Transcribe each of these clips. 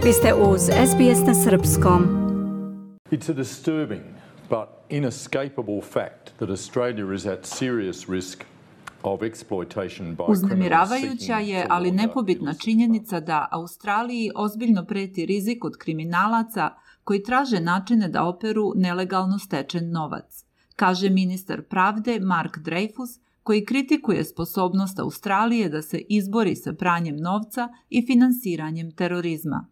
Vi ste uz SBS na srpskom. It's a disturbing but inescapable fact that Australia is at serious risk of exploitation by Uznemiravajuća je, ali nepobitna činjenica da Australiji ozbiljno preti rizik od kriminalaca koji traže načine da operu nelegalno stečen novac, kaže ministar pravde Mark Dreyfus, koji kritikuje sposobnost Australije da se izbori sa pranjem novca i finansiranjem terorizma.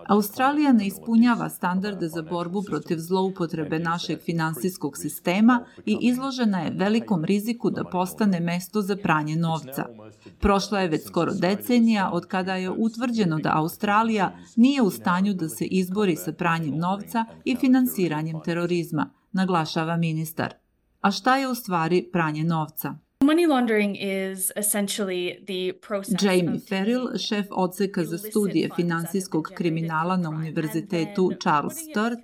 Australija ne ispunjava standarde za borbu protiv zloupotrebe našeg finansijskog sistema i izložena je velikom riziku da postane mesto za pranje novca. Prošla je već skoro decenija od kada je utvrđeno da Australija nije u stanju da se izbori sa pranjem novca i finansiranjem terorizma, naglašava ministar. A šta je u stvari pranje novca? Money laundering is essentially the process. Jamie Ferrill, šef odseka za studije finansijskog kriminala na Univerzitetu Charles Sturt,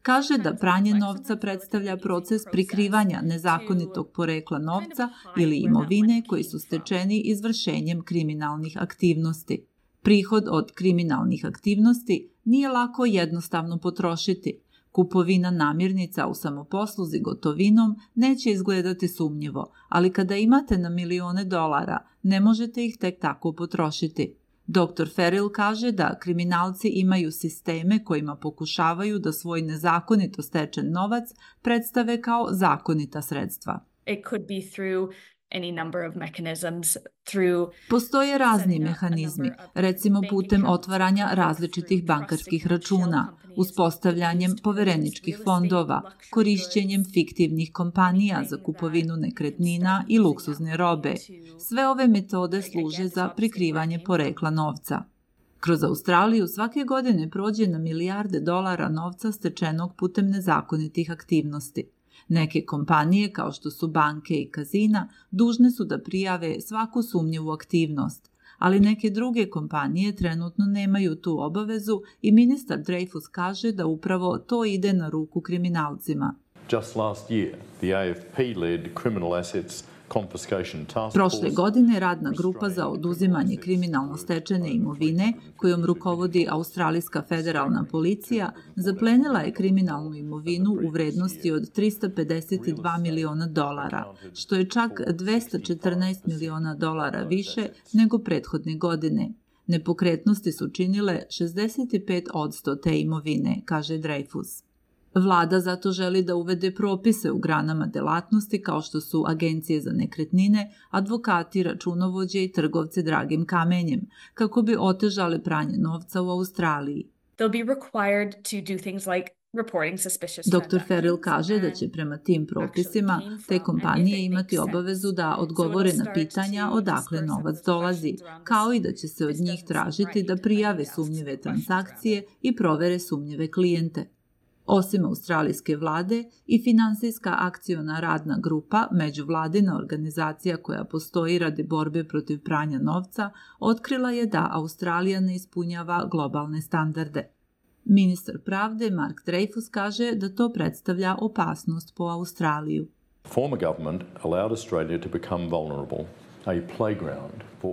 kaže da pranje novca predstavlja proces prikrivanja nezakonitog porekla novca ili imovine koji su stečeni izvršenjem kriminalnih aktivnosti. Prihod od kriminalnih aktivnosti nije lako jednostavno potrošiti. Kupovina namirnica u samoposluzi gotovinom neće izgledati sumnjivo, ali kada imate na milione dolara, ne možete ih tek tako potrošiti. Dr. Ferrill kaže da kriminalci imaju sisteme kojima pokušavaju da svoj nezakonito stečen novac predstave kao zakonita sredstva. It could be through any number of mechanisms. Postoje razni mehanizmi, recimo putem otvaranja različitih bankarskih računa, uspostavljanjem povereničkih fondova, korišćenjem fiktivnih kompanija za kupovinu nekretnina i luksuzne robe. Sve ove metode služe za prikrivanje porekla novca. Kroz Australiju svake godine prođe na milijarde dolara novca stečenog putem nezakonitih aktivnosti. Neke kompanije, kao što su banke i kazina, dužne su da prijave svaku sumnjivu aktivnost, ali neke druge kompanije trenutno nemaju tu obavezu i ministar Dreyfus kaže da upravo to ide na ruku kriminalcima. Just last year, the AFP-led criminal assets confiscation task Prošle godine radna grupa za oduzimanje kriminalno stečene imovine, kojom rukovodi Australijska federalna policija, zaplenila je kriminalnu imovinu u vrednosti od 352 miliona dolara, što je čak 214 miliona dolara više nego prethodne godine. Nepokretnosti su činile 65% te imovine, kaže Dreyfus. Vlada zato želi da uvede propise u granama delatnosti kao što su agencije za nekretnine, advokati, računovođe i trgovci dragim kamenjem, kako bi otežale pranje novca u Australiji. Dr. Ferrill kaže da će prema tim propisima te kompanije imati obavezu da odgovore na pitanja odakle novac dolazi, kao i da će se od njih tražiti da prijave sumnjive transakcije i provere sumnjive klijente. Osim australijske vlade i finansijska akciona radna grupa, međuvladina organizacija koja postoji radi borbe protiv pranja novca, otkrila je da Australija ne ispunjava globalne standarde. Ministar pravde Mark Dreyfus kaže da to predstavlja opasnost po Australiju.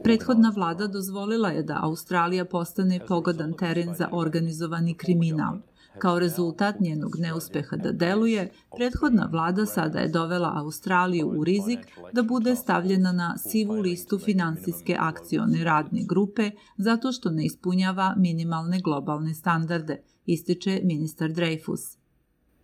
Prethodna vlada dozvolila je da Australija postane pogodan teren za organizovani kriminal. Kao rezultat njenog neuspeha da deluje, prethodna vlada sada je dovela Australiju u rizik da bude stavljena na sivu listu finansijske akcione radne grupe zato što ne ispunjava minimalne globalne standarde, ističe ministar Dreyfus.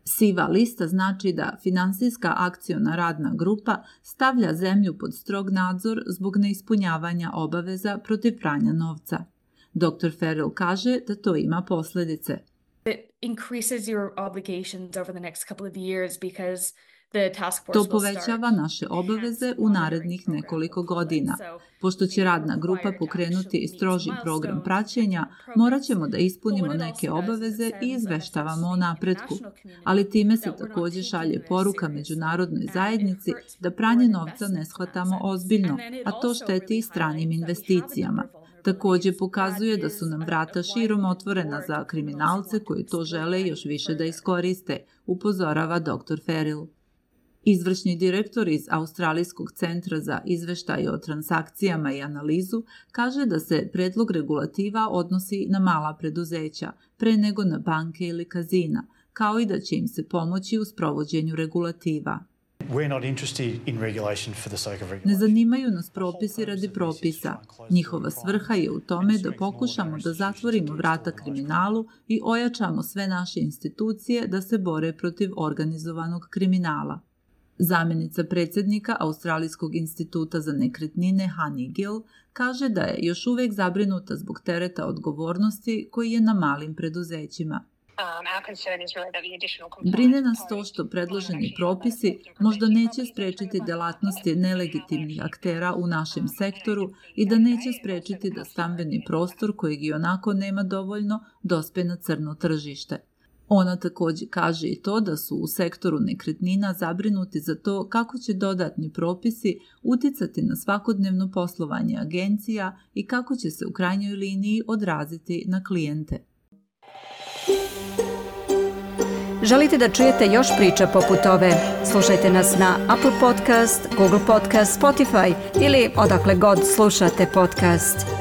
Siva lista znači da finansijska akciona radna grupa stavlja zemlju pod strog nadzor zbog neispunjavanja obaveza protiv pranja novca. Dr. Ferrill kaže da to ima posljedice. To povećava naše obaveze u narednih nekoliko godina. Pošto će radna grupa pokrenuti stroži program praćenja, morat ćemo da ispunimo neke obaveze i izveštavamo o napretku. Ali time se također šalje poruka međunarodnoj zajednici da pranje novca ne shvatamo ozbiljno, a to šteti i stranim investicijama. Također pokazuje da su nam vrata širom otvorena za kriminalce koji to žele još više da iskoriste, upozorava dr. Ferrill. Izvršni direktor iz Australijskog centra za izveštaje o transakcijama i analizu kaže da se predlog regulativa odnosi na mala preduzeća, pre nego na banke ili kazina, kao i da će im se pomoći u sprovođenju regulativa. Ne zanimaju nas propisi radi propisa. Njihova svrha je u tome da pokušamo da zatvorimo vrata kriminalu i ojačamo sve naše institucije da se bore protiv organizovanog kriminala. Zamjenica predsjednika Australijskog instituta za nekretnine Honey Gill kaže da je još uvijek zabrinuta zbog tereta odgovornosti koji je na malim preduzećima. Brine nas to što predloženi propisi možda neće sprečiti delatnosti nelegitimnih aktera u našem sektoru i da neće sprečiti da stambeni prostor, kojeg i onako nema dovoljno, dospe na crno tržište. Ona također kaže i to da su u sektoru nekretnina zabrinuti za to kako će dodatni propisi uticati na svakodnevno poslovanje agencija i kako će se u krajnjoj liniji odraziti na klijente. Želite da čujete još priča poput ove? Slušajte nas na Apple Podcast, Google Podcast, Spotify ili odakle god slušate podcast.